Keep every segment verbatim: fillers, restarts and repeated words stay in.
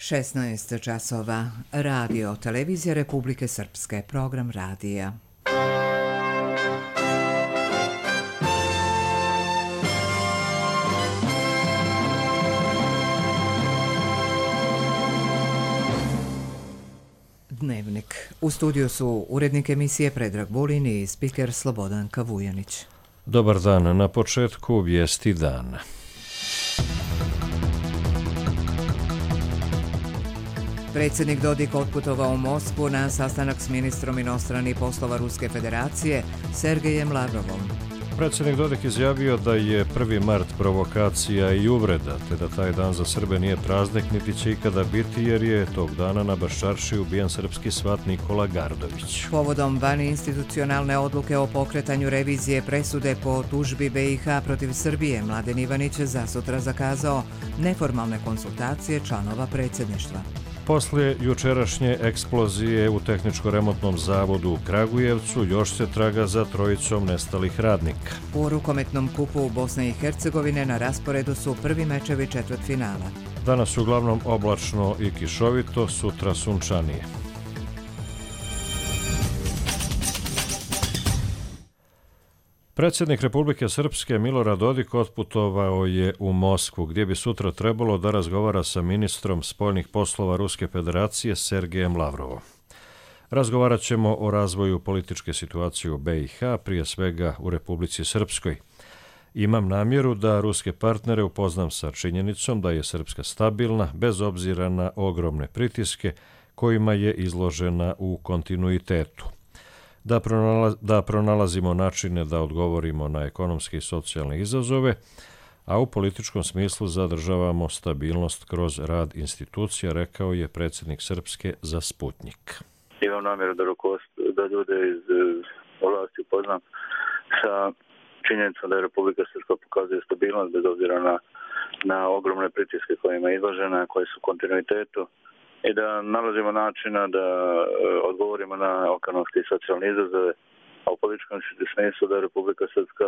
šesnaest časova. Radio, televizija Republike Srpske, program radija. Dnevnik. U studiju su urednik emisije Predrag Vulin i spiker Slobodanka Vujanić. Dobar dan, na početku vijesti dana. Predsjednik Dodik otputovao u Moskvu na sastanak s ministrom inostranih poslova Ruske federacije Sergejem Lavrovom. Predsjednik Dodik izjavio da je prvi mart provokacija i uvreda, te da taj dan za Srbe nije praznik niti će ikada biti, jer je tog dana na Baščarši ubijen srpski svat Nikola Gardović. Povodom vaninstitucionalne odluke o pokretanju revizije presude po tužbi B i H protiv Srbije, Mladen Ivanić za sutra zakazao neformalne konsultacije članova predsjedništva. Poslije jučerašnje eksplozije u tehničko-remontnom zavodu u Kragujevcu još se traga za trojicom nestalih radnika. U rukometnom kupu Bosne i Hercegovine na rasporedu su prvi mečevi četvrtfinala. Danas uglavnom oblačno i kišovito, sutra sunčanije. Predsjednik Republike Srpske Milorad Dodik otputovao je u Moskvu, gdje bi sutra trebalo da razgovara sa ministrom spoljnih poslova Ruske federacije Sergejem Lavrovom. Razgovarat ćemo o razvoju političke situacije u B i H, prije svega u Republici Srpskoj. Imam namjeru da ruske partnere upoznam sa činjenicom da je Srpska stabilna, bez obzira na ogromne pritiske kojima je izložena u kontinuitetu. Da, pronalaz, da pronalazimo načine da odgovorimo na ekonomske i socijalne izazove, a u političkom smislu zadržavamo stabilnost kroz rad institucija, rekao je predsjednik Srpske za Sputnjik. Imam namjeru da, da ljude iz vlasti upoznam sa činjenicom da je Republika Srpska pokazuje stabilnost bez obzira na, na ogromne pritiske kojima je izložena, koje su u kontinuitetu, i da nalazimo načina da odgovorimo na ekonomske i socijalne izazove, a u političkom smislu da Republika Srpska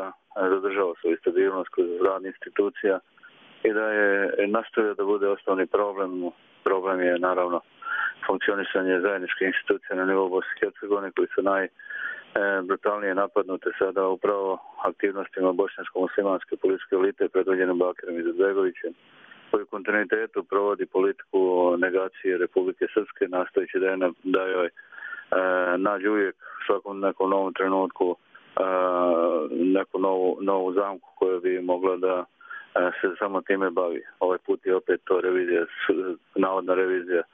zadržava svoju stabilnost kroz rad institucija i da je nastavio da bude osnovni problem. Problem je naravno funkcionisanje zajedničke institucije na nivou Bosne i Hercegovine, koji su najbrutalnije napadnute sada upravo aktivnostima bošnjansko-muslimanske političke elite predvođene Bakirom Izetbegovićem, koji u kontinuitetu provodi politiku negacije Republike Srpske, nastojeći da, je, da joj e, nađe uvijek u svakom nekom novom trenutku e, neku novu, novu zamku koja bi mogla da e, se samo time bavi. Ovaj put je opet to revizija, navodna revizija e,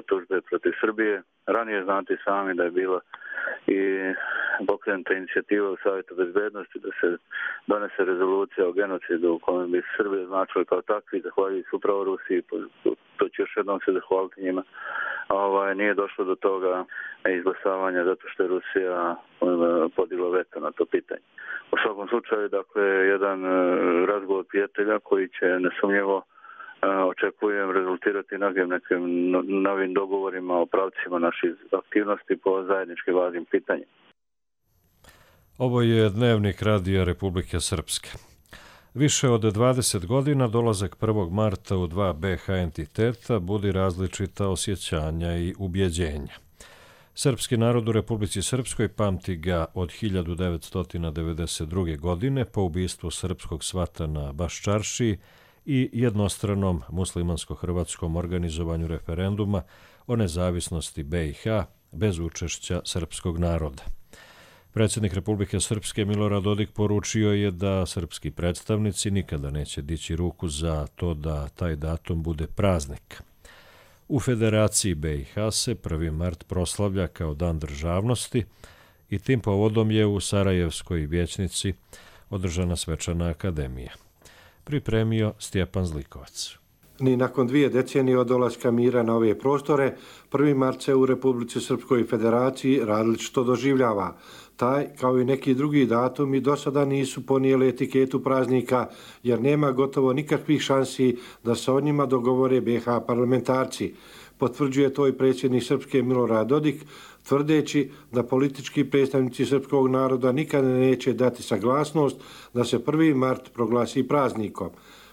tužbe protiv Srbije. Ranije znate sami da je bila i pokrenuta inicijativa u Savjetu bezbednosti da se donese rezolucija o genocidu u kojem bi Srbije značili kao takvi, zahvaljujući upravo Rusiji, to ću još jednom se zahvaliti njima. Ovaj, nije došlo do toga izglasavanja zato što je Rusija podigla veto na to pitanje. U svakom slučaju, dakle, jedan razgovor prijatelja koji će nesumnjivo očekujem rezultirati mnogim nekim novim dogovorima o pravcima naših aktivnosti po zajedničkim važnim pitanjima. Ovo je dnevnik Radija Republike Srpske. Više od dvadeset godina dolazak prvog marta u dva B H entiteta budi različita osjećanja i ubjeđenja. Srpski narod u Republici Srpskoj pamti ga od hiljadu devetsto devedeset druge. godine po ubistvu srpskog svata na Baščarši i jednostranom muslimansko-hrvatskom organizovanju referenduma o nezavisnosti B i H bez učešća srpskog naroda. Predsjednik Republike Srpske Milorad Dodik poručio je da srpski predstavnici nikada neće dići ruku za to da taj datum bude praznik. U Federaciji B i H se prvi mart proslavlja kao dan državnosti i tim povodom je u Sarajevskoj vijećnici održana svečana akademija. Pripremio Stjepan Zlikovac. Ni nakon dvije decenije od dolaska mira na ove prostore, prvi mart se u Republici Srpskoj Federaciji različito doživljava. Taj, kao i neki drugi datumi, do sada nisu ponijeli etiketu praznika, jer nema gotovo nikakvih šansi da se o njima dogovore B H parlamentarci. Potvrđuje to i predsjednik Srpske Milorad Dodik, tvrdeći da politički predstavnici srpskog naroda nikada neće dati saglasnost da se prvi mart proglasi praznikom.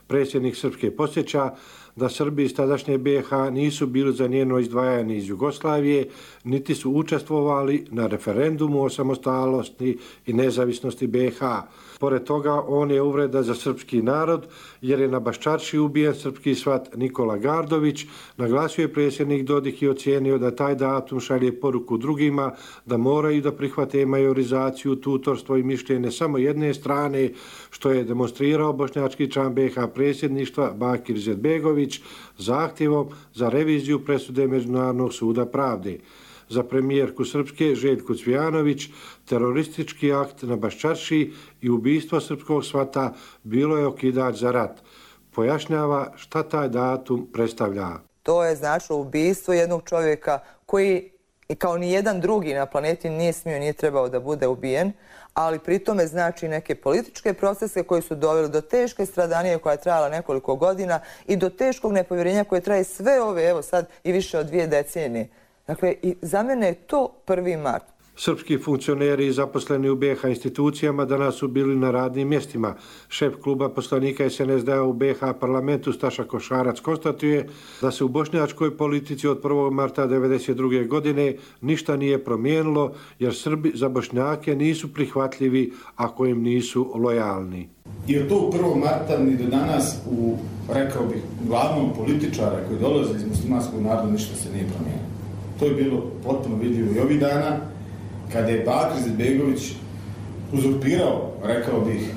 Predsjednik Srpske podsjeća da Srbi iz tadašnje B i H nisu bili za njeno izdvajanje iz Jugoslavije, niti su učestvovali na referendumu o samostalnosti i nezavisnosti B i H. Pored toga, on je uvreda za srpski narod, jer je na Baščarši ubijen srpski svat Nikola Gardović, naglasio je predsjednik Dodik i ocijenio da taj datum šalje poruku drugima da moraju da prihvate majorizaciju, tutorstvo i mišljenje samo jedne strane, što je demonstrirao bošnjački član B i H predsjedništva Bakir Izetbegović zahtjevom za reviziju presude Međunarodnog suda pravde. Za premijerku Srpske Željku Cvijanović teroristički akt na Baščarši i ubistvo srpskog svata bilo je okidač za rat. Pojašnjava šta taj datum predstavlja. To je značilo ubistvo jednog čovjeka koji kao ni jedan drugi na planeti nije smio, nije trebao da bude ubijen, ali pritome znači neke političke procese koji su doveli do teške stradanije koja je trajala nekoliko godina i do teškog nepovjerenja koje traje sve ove, evo sad i više od dvije decenije. Dakle, i za mene je to prvi mart. Srpski funkcioneri zaposleni u B i H institucijama danas su bili na radnim mjestima. Šef kluba poslanika S N S D-a u B i H parlamentu Staša Košarac konstatuje da se u bošnjačkoj politici od prvog marta devedeset druge godine ništa nije promijenilo, jer Srbi za Bošnjake nisu prihvatljivi ako im nisu lojalni. I od tog prvog marta ni do danas u, rekao bih, glavnom političara koji dolaze iz muslimanskog naroda ništa se nije promijenilo. To je bilo potpuno vidljivo i ovih dana, kada je Bakir Izetbegović uzurpirao, rekao bih,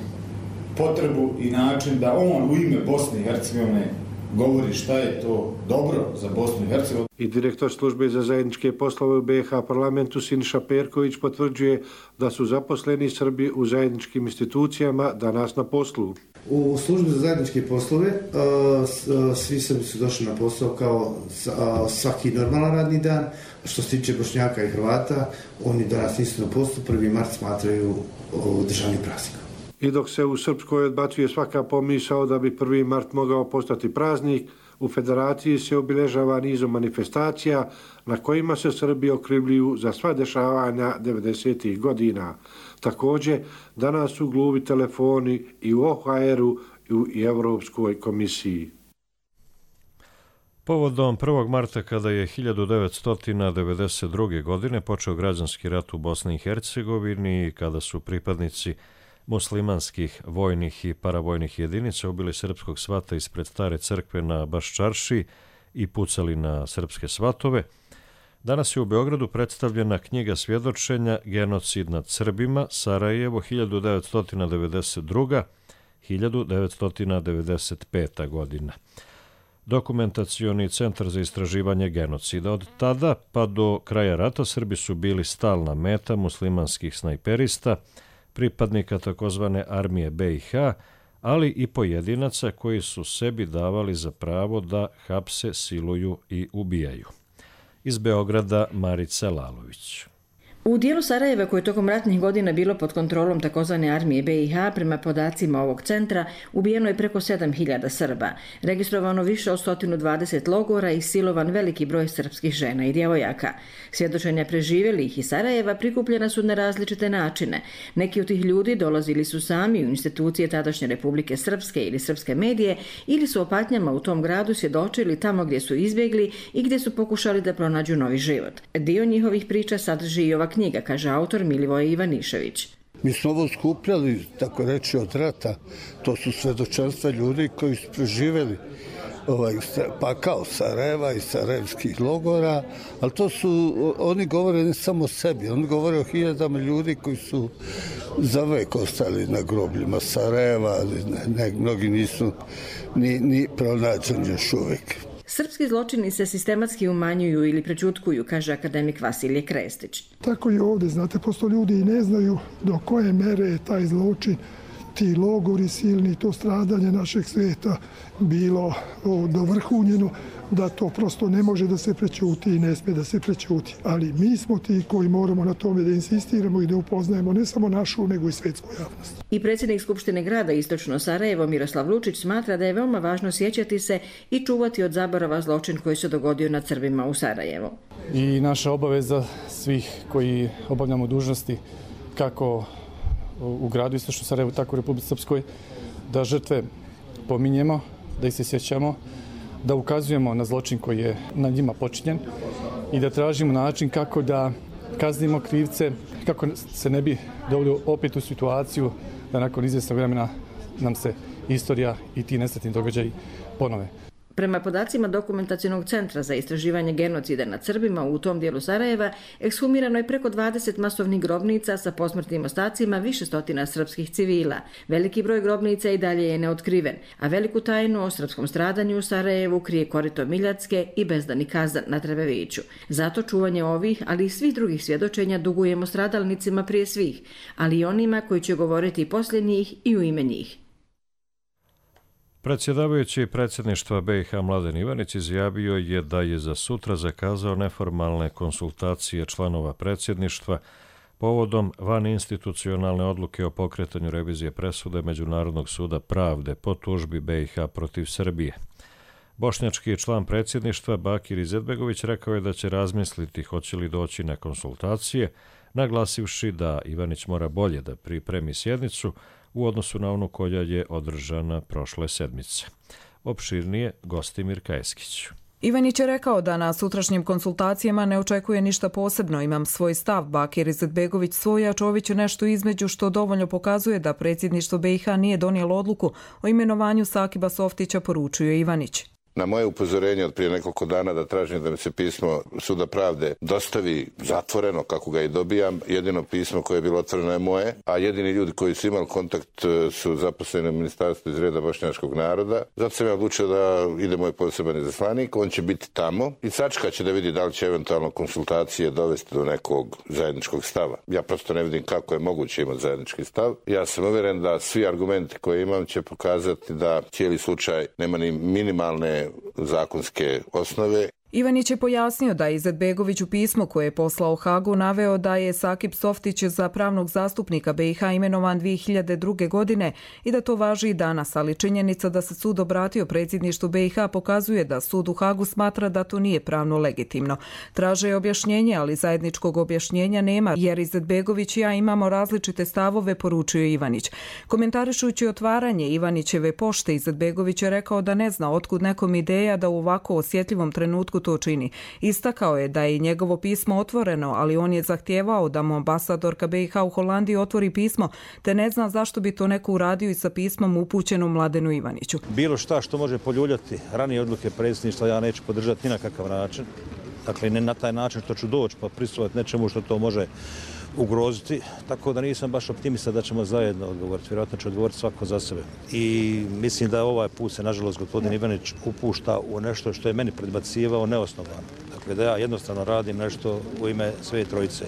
potrebu i način da on u ime Bosne i Hercegovine govori šta je to dobro za Bosnu i Hercegovinu. I direktor službe za zajedničke poslove u B i H parlamentu Siniša Perković potvrđuje da su zaposleni Srbi u zajedničkim institucijama danas na poslu. U službi za zajedničke poslove svi Srbi su došli na posao kao svaki normalan radni dan. Što se tiče Bošnjaka i Hrvata, oni danas nisu na poslu, prvi mart smatraju državnim praznikom. I dok se u Srpskoj odbacuje svaka pomisao da bi prvi mart mogao postati praznik, u Federaciji se obilježava nizom manifestacija na kojima se Srbi okrivljuju za sva dešavanja devedesetih godina. Također, danas su gluvi telefoni i u O H R-u i Europskoj komisiji. Povodom prvog marta, kada je hiljadu devetsto devedeset druge. godine počeo građanski rat u Bosni i Hercegovini i kada su pripadnici muslimanskih vojnih i paravojnih jedinica ubili srpskog svata ispred stare crkve na Baščarši i pucali na srpske svatove, danas je u Beogradu predstavljena knjiga svjedočenja Genocid nad Srbima, Sarajevo hiljadu devetsto devedeset druga do hiljadu devetsto devedeset peta. godina. Dokumentacioni centar za istraživanje genocida. Od tada pa do kraja rata Srbi su bili stalna meta muslimanskih snajperista, pripadnika takozvane armije B i H, ali i pojedinaca koji su sebi davali za pravo da hapse, siluju i ubijaju. Iz Beograda Marica Lalović. U dijelu Sarajeva koje je tokom ratnih godina bilo pod kontrolom takozvane armije B i H, prema podacima ovog centra, ubijeno je preko sedam hiljada Srba, registrovano više od sto dvadeset logora i silovan veliki broj srpskih žena i djevojaka. Svjedočenja preživjelih iz Sarajeva prikupljena su na različite načine. Neki od tih ljudi dolazili su sami u institucije tadašnje Republike Srpske ili srpske medije ili su o patnjama u tom gradu svjedočili tamo gdje su izbjegli i gdje su pokušali da pronađu novi život. Dio njihovih priča sadrži i ova knjiga, kaže autor Milivoje Ivanišević. Mi smo ovo skupljali, tako reći, od rata. To su svedočanstva ljudi koji su preživjeli ovaj, pakao Sarajeva i sarajevskih logora, ali to su, oni govore ne samo o sebi, oni govore o hiljadama ljudi koji su za vek ostali na grobljima Sarajeva, ali ne, ne, mnogi nisu ni, ni pronađeni još uvijek. Srpski zločini se sistematski umanjuju ili prećutkuju, kaže akademik Vasilije Krestić. Tako i ovdje, znate, posto ljudi i ne znaju do koje mere je taj zločin, ti logori silni, to stradanje našeg svijeta bilo dovrhunjeno, da to prosto ne može da se prećuti i ne smije da se prećuti. Ali mi smo ti koji moramo na tome da insistiramo i da upoznajemo ne samo našu, nego i svjetsku javnost. I predsjednik Skupštine grada Istočno Sarajevo Miroslav Lučić smatra da je veoma važno sjećati se i čuvati od zaborava zločin koji se dogodio nad Srbima u Sarajevu. I naša obaveza svih koji obavljamo dužnosti kako u gradu Istočno Sarajevo, tako u Republici Srpskoj, da žrtve pominjemo, da ih se sjećamo, da ukazujemo na zločin koji je na njima počinjen i da tražimo način kako da kaznimo krivce, kako se ne bi doveli opet u situaciju da nakon izvjesnog vremena nam se istorija i ti nesretni događaji ponove. Prema podacima Dokumentacionog centra za istraživanje genocida nad Srbima u tom dijelu Sarajeva, ekshumirano je preko dvadeset masovnih grobnica sa posmrtnim ostacima više stotina srpskih civila. Veliki broj grobnica i dalje je neotkriven, a veliku tajnu o srpskom stradanju u Sarajevu krije korito Miljacke i bezdani kazan na Trebeviću. Zato čuvanje ovih, ali i svih drugih svjedočenja dugujemo stradalnicima prije svih, ali i onima koji će govoriti poslije njih i u ime njih. Predsjedavajući predsjedništva B i H Mladen Ivanić izjavio je da je za sutra zakazao neformalne konsultacije članova predsjedništva povodom vaninstitucionalne odluke o pokretanju revizije presude Međunarodnog suda pravde po tužbi B i H protiv Srbije. Bošnjački član predsjedništva Bakir Izetbegović rekao je da će razmisliti hoće li doći na konsultacije, naglasivši da Ivanić mora bolje da pripremi sjednicu u odnosu na onu koja je održana prošle sedmice. Opširnije Gostimir Kajeskić. Ivanić je rekao da na sutrašnjim konsultacijama ne očekuje ništa posebno. Imam svoj stav, Bakir Izetbegović svoj, a Čović nešto između, što dovoljno pokazuje da predsjedništvo B i H nije donijelo odluku o imenovanju Sakiba Softića, poručio Ivanić. Na moje upozorenje od prije nekoliko dana da tražim da mi se pismo Suda pravde dostavi zatvoreno kako ga i dobijam, jedino pismo koje je bilo otvoreno je moje, a jedini ljudi koji su imali kontakt su zaposleni u ministarstvu iz reda bošnjačkog naroda. Zato sam ja odlučio da ide moj poseban izaslanik, on će biti tamo i sačekat će da vidi da li će eventualno konsultacije dovesti do nekog zajedničkog stava. Ja prosto ne vidim kako je moguće imati zajednički stav. Ja sam uvjeren da svi argumenti koje imam će pokazati da cijeli slučaj nema ni minimalne zakonske osnove. Ivanić je pojasnio da je Izetbegović u pismu koje je poslao Hagu naveo da je Sakib Softić za pravnog zastupnika B i H imenovan dvije hiljade druge. godine i da to važi i danas, ali činjenica da se sud obratio predsjedništvu B i H pokazuje da sud u Hagu smatra da to nije pravno legitimno. Traže objašnjenje, ali zajedničkog objašnjenja nema, jer Izetbegović i ja imamo različite stavove, poručio Ivanić. Komentarišući otvaranje Ivanićeve pošte, Izetbegović je rekao da ne zna otkud nekom ideja da u ovako osjetljivom trenutku to čini. Istakao je da je njegovo pismo otvoreno, ali on je zahtijevao da mu ambasadorka B i H u Holandiji otvori pismo, te ne zna zašto bi to neko uradio i sa pismom upućenom Mladenu Ivaniću. Bilo šta što može poljuljati ranije odluke predsjedništva ja neću podržati ni na kakav način. Dakle, ne na taj način što ću doći pa prisustvovati nečemu što to može ugroziti, tako da nisam baš optimista da ćemo zajedno odgovoriti. Vjerojatno će odgovoriti svako za sebe. I mislim da ovaj put se, nažalost, gospodin Ivanić upušta u nešto što je meni predbacivao neosnovano. Dakle, da ja jednostavno radim nešto u ime sve trojice.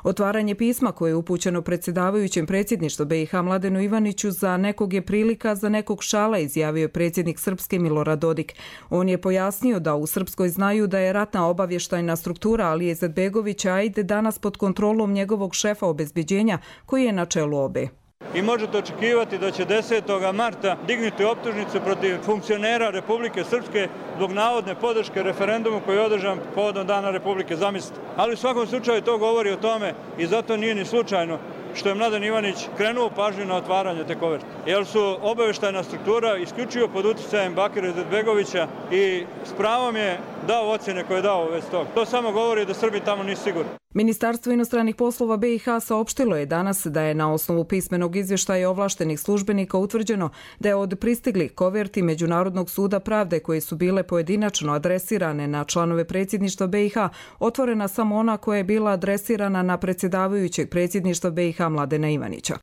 Otvaranje pisma koje je upućeno predsjedavajućem predsjedništva B i H Mladenu Ivaniću za nekog je prilika, za nekog šala, izjavio je predsjednik Srpske Milorad Dodik. On je pojasnio da u Srpskoj znaju da je ratna obavještajna struktura Alije Izetbegovića ajde danas pod kontrolom njegovog šefa obezbeđenja koji je na čelu obe. I možete očekivati da će desetog marta dignuti optužnicu protiv funkcionera Republike Srpske zbog navodne podrške referendumu koji je održan povodom Dana Republike, zamislite. Ali u svakom slučaju to govori o tome i zato nije ni slučajno što je Mladen Ivanić krenuo pažnju na otvaranje te koverte. Jer su obavještajna struktura isključivo pod utjecajem Bakira Izetbegovića i s pravom je dao ocjene koje je dao u vezi toga. To samo govori da Srbi tamo nisu sigurni. Ministarstvo inostranih poslova B i H saopštilo je danas da je na osnovu pismenog izvještaja ovlaštenih službenika utvrđeno da je od pristiglih koverti Međunarodnog suda pravde koje su bile pojedinačno adresirane na članove predsjedništva B i H otvorena samo ona koja je bila adresirana na predsjedavajućeg predsjedništva B i H Mladena Ivanića.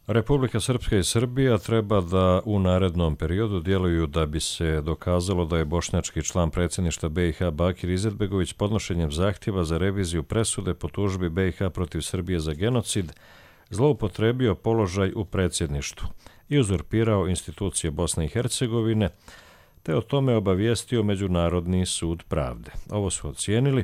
Republika Srpska i Srbija treba da u narednom periodu djeluju da bi se dokazalo da je bošnjački član predsjedništva B i H Bakir Izetbegović podnošenjem zahtjeva za reviziju presude po tužbi B i H protiv Srbije za genocid zloupotrebio položaj u predsjedništvu i uzurpirao institucije Bosne i Hercegovine, te o tome obavijestio Međunarodni sud pravde. Ovo su ocijenili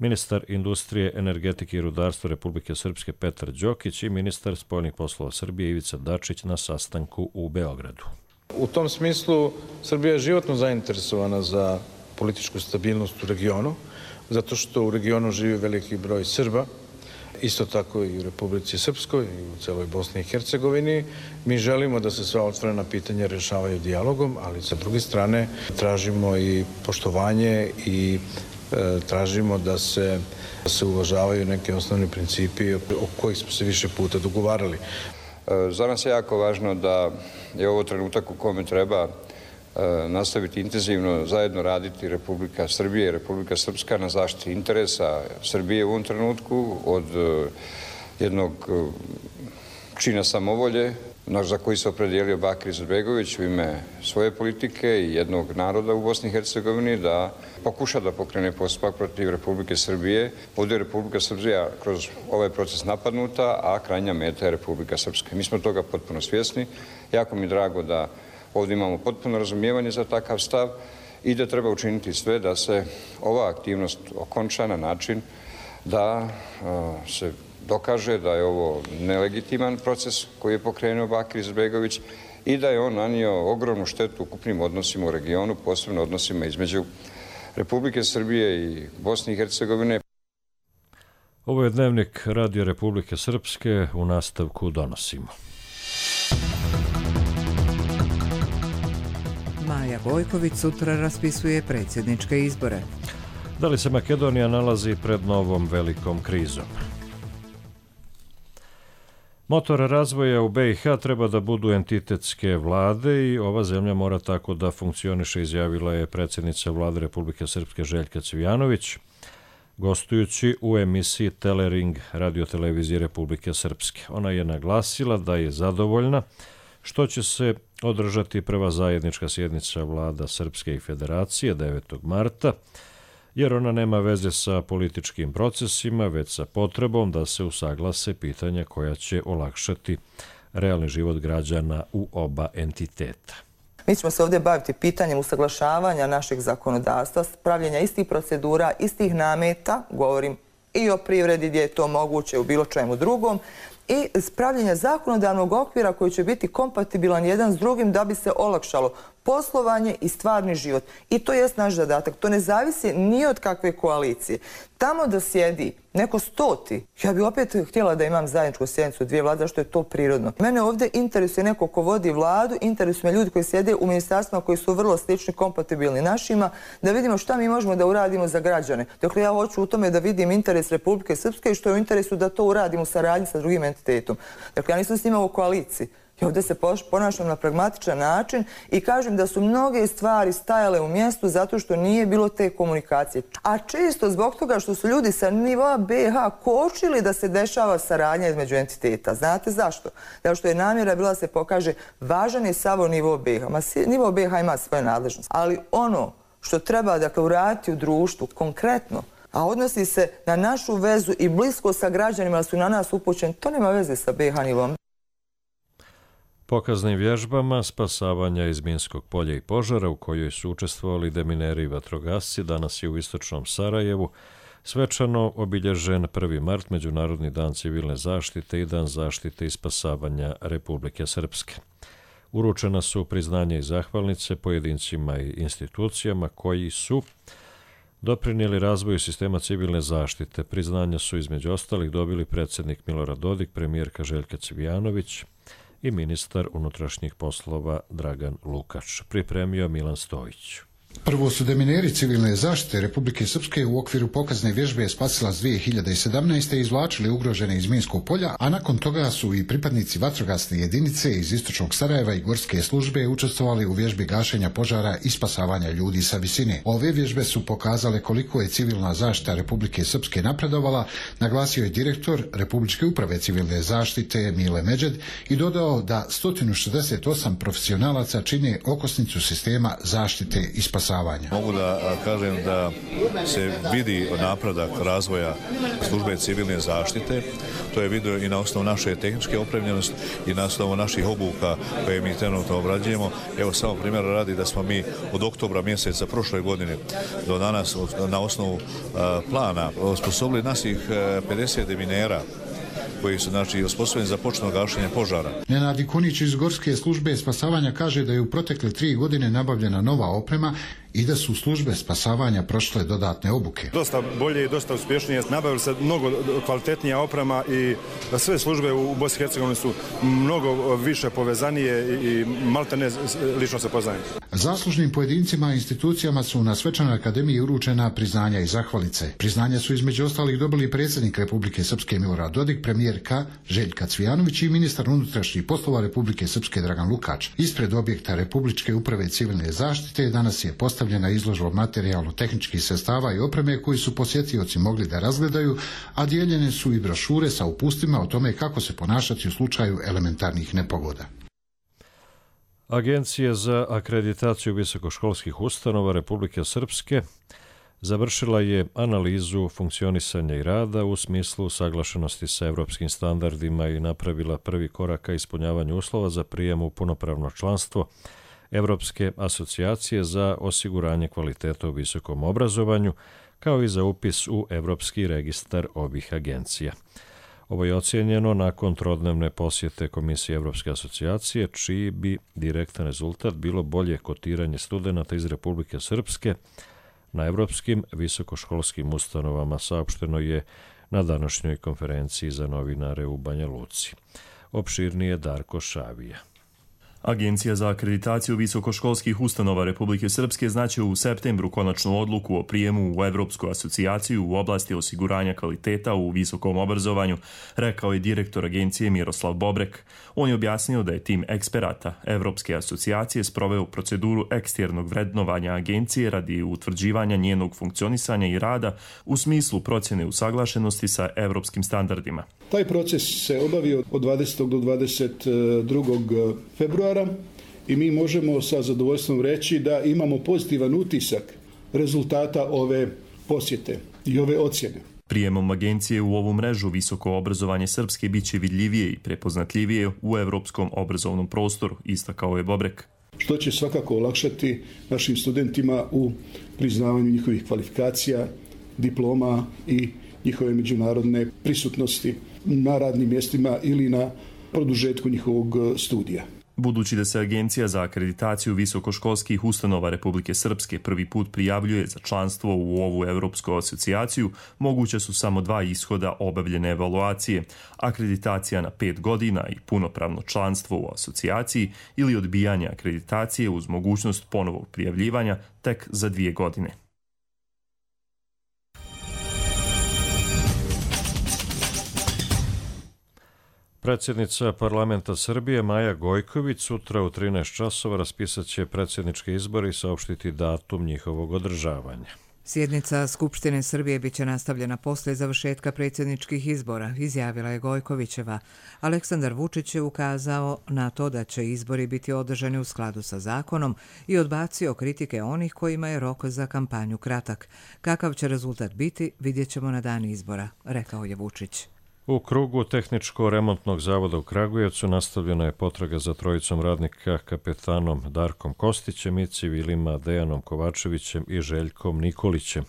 ministar industrije, energetike i rudarstva Republike Srpske Petar Đokić i ministar spoljnih poslova Srbije Ivica Dačić na sastanku u Beogradu. U tom smislu Srbija je životno zainteresovana za političku stabilnost u regionu, zato što u regionu živi veliki broj Srba, isto tako i u Republici Srpskoj i u celoj Bosni i Hercegovini, Mi želimo da se sva otvorena pitanja rješavaju dijalogom, ali sa druge strane tražimo i poštovanje i e, tražimo da se, da se uvažavaju neki osnovni principi o kojih smo se više puta dogovarali. Za nas je jako važno da je ovo trenutak u kome treba nastaviti intenzivno zajedno raditi Republika Srbije i Republika Srpska na zaštiti interesa Srbije u ovom trenutku od jednog čina samovolje za koji se opredijelio Bakir Izetbegović u ime svoje politike i jednog naroda u Bosni i Hercegovini da pokuša da pokrene postupak protiv Republike Srbije. Ovdje je Republika Srbija kroz ovaj proces napadnuta, a krajnja meta je Republika Srpska. Mi smo toga potpuno svjesni. Jako mi je drago da ovdje imamo potpuno razumijevanje za takav stav i da treba učiniti sve da se ova aktivnost okonča na način da se dokaže da je ovo nelegitiman proces koji je pokrenuo Bakir Izetbegović i da je on nanio ogromnu štetu ukupnim odnosima u regionu, posebno odnosima između Republike Srbije i Bosne i Hercegovine. Ovo je dnevnik Radio Republike Srpske, u nastavku donosimo. Maja Gojković sutra raspisuje predsjedničke izbore. Da li se Makedonija nalazi pred novom velikom krizom? Motor razvoja u be i ha treba da budu entitetske vlade i ova zemlja mora tako da funkcioniše, izjavila je predsjednica vlade Republike Srpske Željka Cvijanović, gostujući u emisiji Telering radiotelevizije Republike Srpske. Ona je naglasila da je zadovoljna što će se održati prva zajednička sjednica vlada Srpske i Federacije devetog marta, jer ona nema veze sa političkim procesima, već sa potrebom da se usaglase pitanja koja će olakšati realni život građana u oba entiteta. Mi ćemo se ovdje baviti pitanjem usaglašavanja našeg zakonodavstva, pravljenja istih procedura, istih nameta, govorim i o privredi gdje je to moguće, u bilo čemu drugom, i spravljenja zakonodavnog okvira koji će biti kompatibilan jedan s drugim da bi se olakšalo poslovanje i stvarni život. I to jest naš zadatak. To ne zavisi ni od kakve koalicije. Tamo da sjedi neko stoti, ja bi opet htjela da imam zajedničku sjednicu dvije vlade, zašto je to prirodno. Mene ovdje interesuje neko ko vodi vladu, interesuje me ljudi koji sjede u ministarstvima koji su vrlo slični, kompatibilni našima, da vidimo šta mi možemo da uradimo za građane. Dakle, ja hoću u tome da vidim interes Republike Srpske i što je u interesu da to uradimo u saradnji sa drugim entitetom. Dakle, ja nisam s njima u koaliciji. I ovdje se ponašam na pragmatičan način i kažem da su mnoge stvari stajale u mjestu zato što nije bilo te komunikacije. A često zbog toga što su ljudi sa nivoa be i ha kočili da se dešava saradnja između entiteta. Znate zašto? Zato što je namjera bila da se pokaže važan je samo nivo be i ha. Ma, nivo be i ha ima svoje nadležnosti. Ali ono što treba dakle uraditi u društvu konkretno, a odnosi se na našu vezu i blisko sa građanima da su na nas upućeni, to nema veze sa be i ha nivom. Pokaznim vježbama spasavanja iz minskog polja i požara u kojoj su učestvovali demineri i vatrogasci danas je u istočnom Sarajevu svečano obilježen prvi mart, Međunarodni dan civilne zaštite i dan zaštite i spasavanja Republike Srpske. Uručena su priznanja i zahvalnice pojedincima i institucijama koji su doprinijeli razvoju sistema civilne zaštite. Priznanja su između ostalih dobili predsjednik Milorad Dodik, premijerka Željka Cvijanović i ministar unutrašnjih poslova Dragan Lukač. Pripremio Milan Stojić. Prvo su demineri civilne zaštite Republike Srpske u okviru pokazne vježbe Spasilac dvije hiljade sedamnaeste izvlačili ugrožene iz minskog polja, a nakon toga su i pripadnici vatrogasne jedinice iz istočnog Sarajeva i gorske službe učestvovali u vježbi gašenja požara i spasavanja ljudi sa visine. Ove vježbe su pokazale koliko je civilna zaštita Republike Srpske napredovala, naglasio je direktor Republičke uprave civilne zaštite Mile Međed i dodao da sto šezdeset osam profesionalaca čine okosnicu sistema zaštite i spasavanja. Mogu da kažem da se vidi napredak razvoja službe civilne zaštite. To je vidio i na osnovu naše tehničke opremljenosti i na osnovu naših obuka koje mi trenutno obrađujemo. Evo samo primjer radi da smo mi od oktobra mjeseca prošle godine do danas na osnovu plana osposobili naših pedeset deminera koji su znači osposobljeni za početno gašenje požara. Nenad Ikonić iz gorske službe spasavanja kaže da je u protekle tri godine nabavljena nova oprema i da su službe spasavanja prošle dodatne obuke. Dosta bolje i dosta uspješnije. Nabavili se mnogo kvalitetnija oprema i sve službe u Bosni i Hercegovini su mnogo više povezanije i maltene lično se poznaju. Zaslužnim pojedincima i institucijama su na Svečanoj akademiji uručena priznanja i zahvalice. Priznanja su između ostalih dobili predsjednik Republike Srpske Milorad Dodik, premijerka Željka Cvijanović i ministar unutrašnjih poslova Republike Srpske Dragan Lukač. Ispred objekta Republičke uprave civilne zaštite danas je postavljena izložba materijalno-tehničkih sredstava i opreme koji su posjetioci mogli da razgledaju, a dijeljene su i brošure sa upustima o tome kako se ponašati u slučaju elementarnih nepogoda. Agencija za akreditaciju visokoškolskih ustanova Republike Srpske završila je analizu funkcionisanja i rada u smislu usaglašenosti sa evropskim standardima i napravila prvi korak ka ispunjavanju uslova za prijem u punopravno članstvo Evropske asocijacije za osiguranje kvaliteta u visokom obrazovanju, kao i za upis u Evropski registar ovih agencija. Ovo je ocijenjeno nakon trodnevne posjete Komisije Evropske asocijacije, čiji bi direktan rezultat bilo bolje kotiranje studenata iz Republike Srpske na evropskim visokoškolskim ustanovama, saopšteno je na današnjoj konferenciji za novinare u Banja Luci. Opširnije Darko Šavija. Agencija za akreditaciju visokoškolskih ustanova Republike Srpske znaće u septembru konačnu odluku o prijemu u Evropsku asocijaciju u oblasti osiguranja kvaliteta u visokom obrazovanju, rekao je direktor agencije Miroslav Bobrek. On je objasnio da je tim eksperata Evropske asocijacije sproveo proceduru eksternog vrednovanja agencije radi utvrđivanja njenog funkcionisanja i rada u smislu procjene usaglašenosti sa evropskim standardima. Taj proces se obavio od dvadesetog do dvadeset drugog februara i mi možemo sa zadovoljstvom reći da imamo pozitivan utisak rezultata ove posjete i ove ocjene. Prijemom agencije u ovu mrežu visoko obrazovanje Srpske biće vidljivije i prepoznatljivije u evropskom obrazovnom prostoru, istakao je Bobrek. Što će svakako olakšati našim studentima u priznavanju njihovih kvalifikacija, diploma i njihove međunarodne prisutnosti na radnim mjestima ili na produžetku njihovog studija. Budući da se Agencija za akreditaciju visokoškolskih ustanova Republike Srpske prvi put prijavljuje za članstvo u ovu Evropsku asocijaciju, moguće su samo dva ishoda obavljene evaluacije, akreditacija na pet godina i punopravno članstvo u asocijaciji ili odbijanje akreditacije uz mogućnost ponovog prijavljivanja tek za dvije godine. Predsjednica parlamenta Srbije Maja Gojković sutra u trinaest časova raspisat će predsjedničke izbore i saopštiti datum njihovog održavanja. Sjednica Skupštine Srbije biće nastavljena posle završetka predsjedničkih izbora, izjavila je Gojkovićeva. Aleksandar Vučić je ukazao na to da će izbori biti održani u skladu sa zakonom i odbacio kritike onih kojima je rok za kampanju kratak. Kakav će rezultat biti, vidjet ćemo na dan izbora, rekao je Vučić. U krugu Tehničko-remontnog zavoda u Kragujevcu nastavljena je potraga za trojicom radnika kapetanom Darkom Kostićem i civilima Dejanom Kovačevićem i Željkom Nikolićem.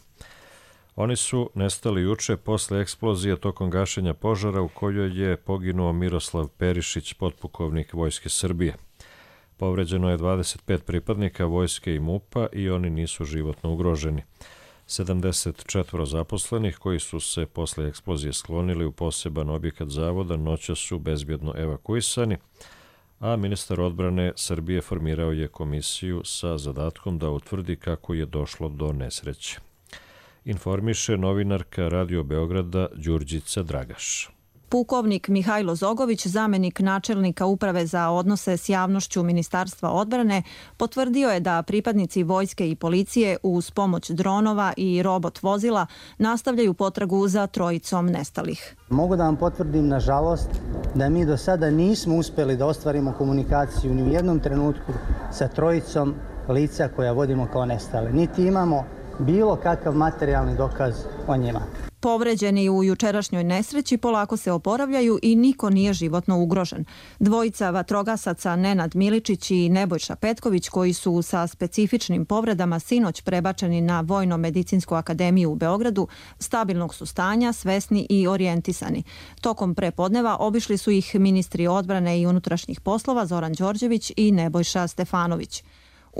Oni su nestali juče posle eksplozije tokom gašenja požara u kojoj je poginuo Miroslav Perišić, potpukovnik Vojske Srbije. Povređeno je dvadeset pet pripadnika Vojske i MUP-a i oni nisu životno ugroženi. sedamdeset četiri zaposlenih koji su se posle eksplozije sklonili u poseban objekat zavoda noća su bezbjedno evakuisani, a ministar odbrane Srbije formirao je komisiju sa zadatkom da utvrdi kako je došlo do nesreće. Informiše novinarka Radio Beograda Đurđica Dragaš. Pukovnik Mihajlo Zogović, zamenik načelnika Uprave za odnose s javnošću Ministarstva odbrane, potvrdio je da pripadnici vojske i policije uz pomoć dronova i robot vozila nastavljaju potragu za trojicom nestalih. Mogu da vam potvrdim, nažalost, da mi do sada nismo uspjeli da ostvarimo komunikaciju ni u jednom trenutku sa trojicom lica koja vodimo kao nestale. Niti imamo bilo kakav materijalni dokaz o njima. Povređeni u jučerašnjoj nesreći polako se oporavljaju i niko nije životno ugrožen. Dvojica vatrogasaca Nenad Miličić i Nebojša Petković, koji su sa specifičnim povredama sinoć prebačeni na Vojno-medicinsku akademiju u Beogradu, stabilnog su stanja, svesni i orijentisani. Tokom prepodneva obišli su ih ministri odbrane i unutrašnjih poslova Zoran Đorđević i Nebojša Stefanović.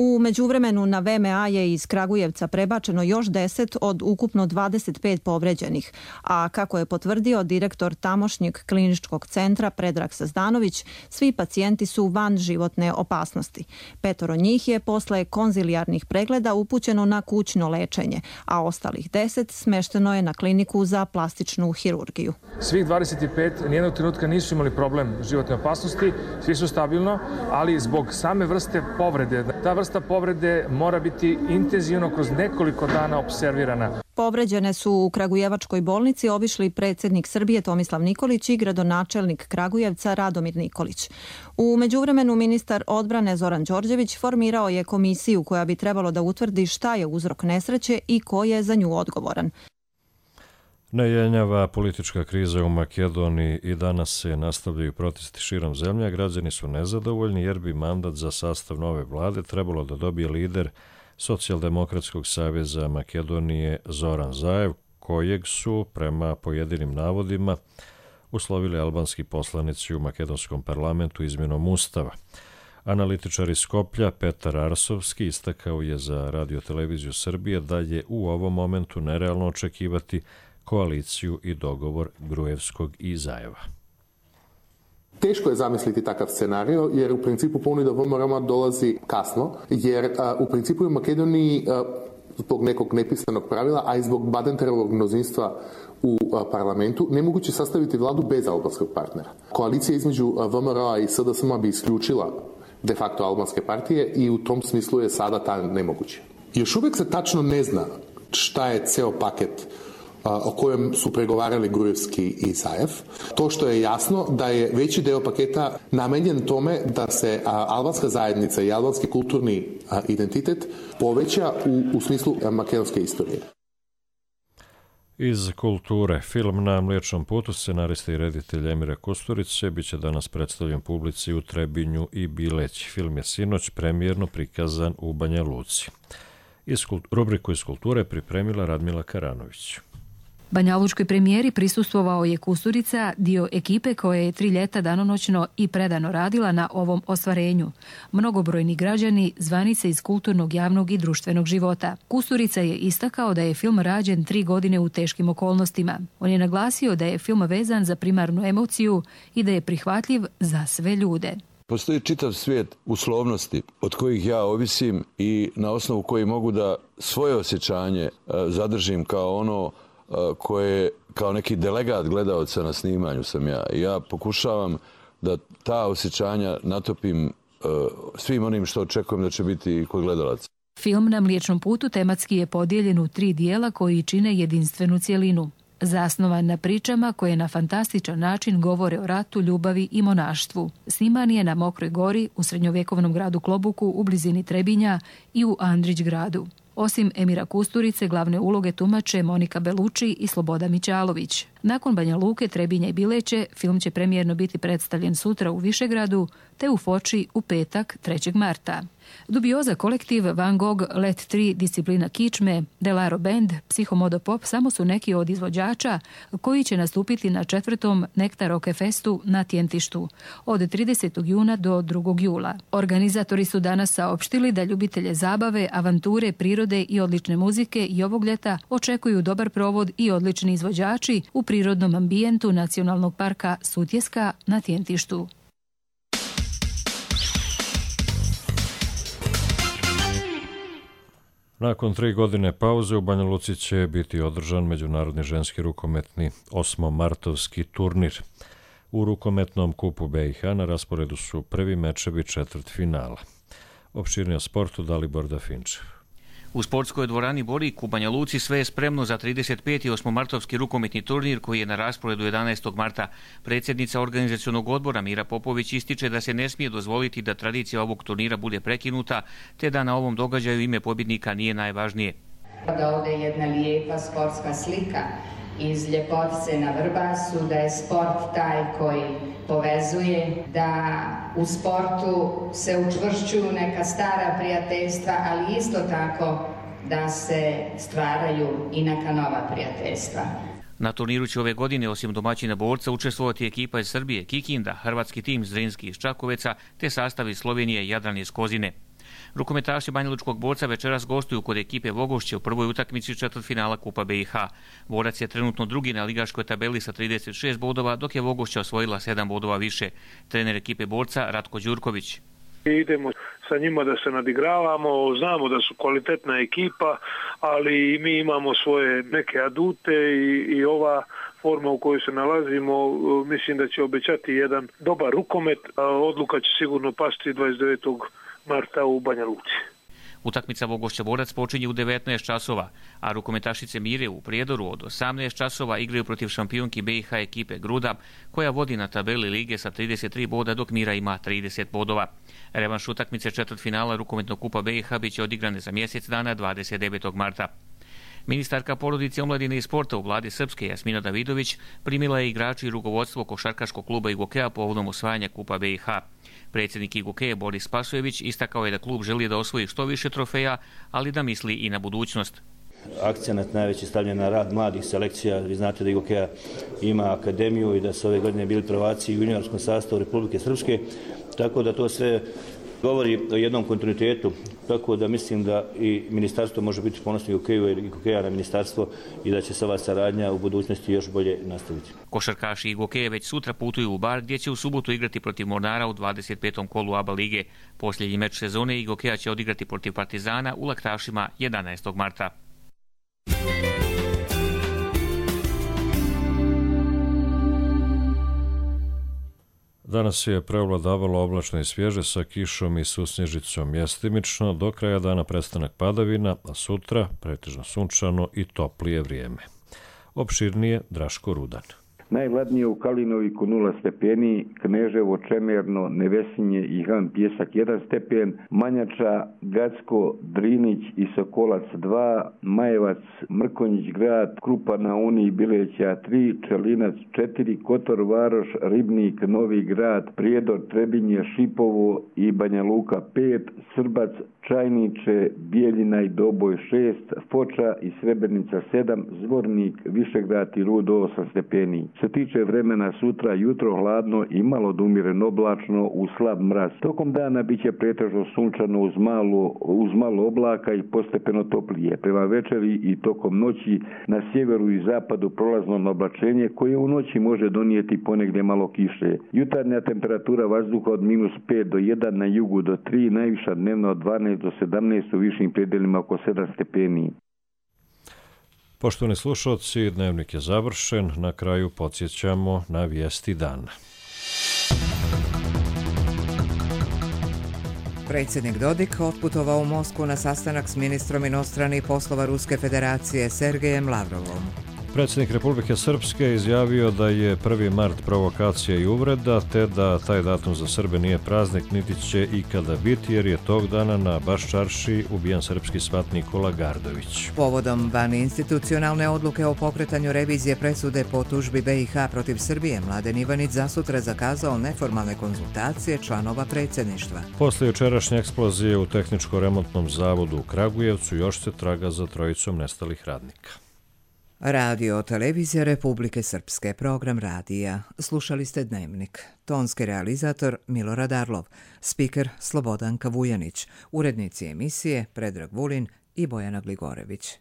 U međuvremenu na V M A je iz Kragujevca prebačeno još deset od ukupno dvadeset pet povređenih, a kako je potvrdio direktor tamošnjeg kliničkog centra Predrag Sazdanović, svi pacijenti su van životne opasnosti. Petoro njih je posle konzilijarnih pregleda upućeno na kućno lečenje, a ostalih deset smešteno je na kliniku za plastičnu hirurgiju. Svih dvadeset pet nijednog trenutka nisu imali problem životne opasnosti, svi su stabilno, ali zbog same vrste povrede, ta vrsta povrede mora biti intenzivno kroz nekoliko dana observirana. Povređene su u Kragujevačkoj bolnici obišli predsjednik Srbije Tomislav Nikolić i gradonačelnik Kragujevca Radomir Nikolić. U međuvremenu ministar odbrane Zoran Đorđević formirao je komisiju koja bi trebalo da utvrdi šta je uzrok nesreće i ko je za nju odgovoran. Nejenjava politička kriza u Makedoniji i danas se nastavljaju protesti širom zemlje. Građani su nezadovoljni jer bi mandat za sastav nove vlade trebalo da dobije lider Socijaldemokratskog saveza Makedonije Zoran Zaev, kojeg su, prema pojedinim navodima, uslovili albanski poslanici u makedonskom parlamentu izmjenom ustava. Analitičar iz Skoplja Petar Arsovski istakao je za Radio-televiziju Srbije da je u ovom momentu nerealno očekivati koaliciju i dogovor Gruevskog i Zaeva. Teško je zamisliti takav scenario jer u principu ponuda V M R O dolazi kasno jer a, u principu u Makedoniji a, zbog nekog nepisanog pravila, a i zbog Badenterovog množinstva u a, parlamentu nemoguće sastaviti vladu bez albanskog partnera. Koalicija između V M R O i S D S M bi isključila de facto albanske partije i u tom smislu je sada ta nemoguće. Još uvijek se tačno ne zna šta je ceo paket o kojem su pregovarali Gruevski i Zaev. To što je jasno da je veći deo paketa namenjen tome da se albanska zajednica i albanski kulturni identitet poveća u, u smislu makedonske istorije. Iz kulture, film Na mliječnom putu scenarista i reditelj Emira Kusturice biće danas predstavljen publici u Trebinju i Bileći. Film je sinoć premijerno prikazan u Banja Luci. Iz rubriku iz kulture pripremila Radmila Karanović. Banjalučkoj premijeri prisustvovao je Kusturica, dio ekipe koja je tri ljeta danonoćno i predano radila na ovom ostvarenju. Mnogobrojni građani, zvanice iz kulturnog, javnog i društvenog života. Kusturica je istakao da je film rađen tri godine u teškim okolnostima. On je naglasio da je film vezan za primarnu emociju i da je prihvatljiv za sve ljude. Postoji čitav svijet uslovnosti od kojih ja ovisim i na osnovu koji mogu da svoje osjećanje zadržim kao ono koje kao neki delegat gledaoca na snimanju sam ja. Ja pokušavam da ta osjećanja natopim uh, svim onim što očekujem da će biti kod gledalaca. Film Na mliječnom putu tematski je podijeljen u tri dijela koji čine jedinstvenu cjelinu. Zasnovan na pričama koje na fantastičan način govore o ratu, ljubavi i monaštvu. Sniman je na Mokroj gori, u srednjovjekovnom gradu Klobuku, u blizini Trebinja i u Andrić gradu. Osim Emira Kusturice, glavne uloge tumače Monika Beluči i Sloboda Mićalović. Nakon Banja Luke, Trebinja i Bileće, film će premijerno biti predstavljen sutra u Višegradu, te u Foči u petak trećeg marta. Dubioza kolektiv, Van Gogh, Let tri, Disciplina kičme, Delaro Band, Psihomodo Pop samo su neki od izvođača koji će nastupiti na četvrtom Nektar Rock Festu na Tjentištu od tridesetog juna do drugog jula. Organizatori su danas saopštili da ljubitelje zabave, avanture, prirode i odlične muzike i ovog ljeta očekuju dobar provod i odlični izvođači u prirodnom ambijentu Nacionalnog parka Sutjeska na Tjentištu. Nakon tri godine pauze u Banja Luci će biti održan međunarodni ženski rukometni osmomartovski turnir. U rukometnom kupu B i H na rasporedu su prvi mečevi četvrtfinala. Opširnije o sportu Dalibor Dafinčev. U sportskoj dvorani Borik u Banja Luci sve je spremno za trideset peti osmomartovski rukometni turnir koji je na rasporedu jedanaestog marta. Predsjednica organizacionog odbora Mira Popović ističe da se ne smije dozvoliti da tradicija ovog turnira bude prekinuta, te da na ovom događaju ime pobjednika nije najvažnije. Da ovdje je jedna lijepa sportska slika iz Ljepotice na Vrbasu, da je sport taj koji povezuje, da u sportu se učvršćuju neka stara prijateljstva, ali isto tako da se stvaraju i neka nova prijateljstva. Na turniru će ove godine osim domaćina borca učestvovati ekipa iz Srbije, Kikinda, hrvatski tim Zrinski iz Čakoveca te sastav iz Slovenije Jadran iz Kozine. Rukometaši banjalučkog Borca večeras gostuju kod ekipe Vogošće u prvoj utakmici četvrtfinala Kupa B i H. Borac je trenutno drugi na ligaškoj tabeli sa trideset šest bodova, dok je Vogošća osvojila sedam bodova više. Trener ekipe Borca Ratko Đurković. Idemo sa njima da se nadigravamo, znamo da su kvalitetna ekipa, ali mi imamo svoje neke adute i, i ova forma u kojoj se nalazimo, mislim da će obećati jedan dobar rukomet, a odluka će sigurno pasti dvadeset devetog marta u Banja Luci. Utakmica Vogošća Borac počinje u devetnaest časova, a rukometašice Mire u Prijedoru od osamnaest časova igraju protiv šampionki B i H ekipe Gruda, koja vodi na tabeli lige sa trideset tri boda, dok Mira ima trideset bodova. Revanš utakmice četvrtfinala rukometnog Kupa B i H biće odigrane za mjesec dana dvadeset devetog marta. Ministarka porodice, omladine i sporta u vladi Srpske Jasmina Davidović primila je igrači i rukovodstvo košarkaškog kluba Igokeja povodom osvajanja Kupa B i H. Predsjednik Igokeje Boris Spasojević istakao je da klub želi da osvoji što više trofeja, ali da misli i na budućnost. Akcenat najveći stavljen na rad mladih selekcija. Vi znate da Igokeja ima akademiju i da su ove godine bili prvaci u juniorskom sastavu Republike Srpske, tako da to sve govori o jednom kontinuitetu, tako da mislim da i ministarstvo može biti ponosno Igokeju i Igokeja na ministarstvo i da će se ova saradnja u budućnosti još bolje nastaviti. Košarkaši Igokeje već sutra putuju u Bar, gdje će u subotu igrati protiv Mornara u dvadeset petom kolu A B A lige. Posljednji meč sezone Igokeja će odigrati protiv Partizana u Laktašima jedanaestog marta. Danas je preovladavalo oblačno i svježe sa kišom i susnježicom mjestimično, do kraja dana prestanak padavina, a sutra pretežno sunčano i toplije vrijeme. Opširnije Draško Rudan. Najhladnije u Kalinoviku nula stepeni, Kneževo, Čemerno, Nevesinje i Han Pjesak jedan stepen, Manjača, Gacko, Drinić i Sokolac dva, Majevac, Mrkonjić grad, Krupa na Uni, Bileća tri, Čelinac četiri, Kotor Varoš, Ribnik, Novi grad, Prijedor, Trebinje, Šipovo i Banja Luka pet, Srbac, Čajniče, Bijeljina i Doboj šest, Foča i Srebrenica sedam, Zvornik, Višegrad i Rudo osam stepeni. Se tiče vremena sutra, jutro hladno i malo dumiren oblačno u slab mraz. Tokom dana biće pretežno sunčano uz malo, uz malo oblaka i postepeno toplije. Prema večeri i tokom noći na sjeveru i zapadu prolazno oblačenje koje u noći može donijeti ponegdje malo kiše. Jutarnja temperatura vazduha od minus pet do jedan, na jugu do tri, najviša dnevna od dvanaest do sedamnaest, u višim predelima oko sedam stepeni. Poštovani slušalci, dnevnik je završen. Na kraju podsjećamo na vijesti dana. Predsjednik Dodik otputovao u Moskvu na sastanak s ministrom inostranih poslova Ruske federacije Sergejem Lavrovom. Predsjednik Republike Srpske izjavio da je prvi mart provokacija i uvreda, te da taj datum za Srbe nije praznik, niti će ikada biti, jer je tog dana na Baščarši ubijen srpski svat Nikola Gardović. Povodom vaninstitucionalne odluke o pokretanju revizije presude po tužbi B i H protiv Srbije, Mladen Ivanić zasutra zakazao neformalne konzultacije članova predsjedništva. Posle jučerašnje eksplozije u tehničko-remontnom zavodu u Kragujevcu još se traga za trojicom nestalih radnika. Radio Televizija Republike Srpske, program radija. Slušali ste Dnevnik. Tonski realizator Milorad Arlov, spiker Slobodanka Vujanić, urednici emisije Predrag Vulin i Bojana Gligorević.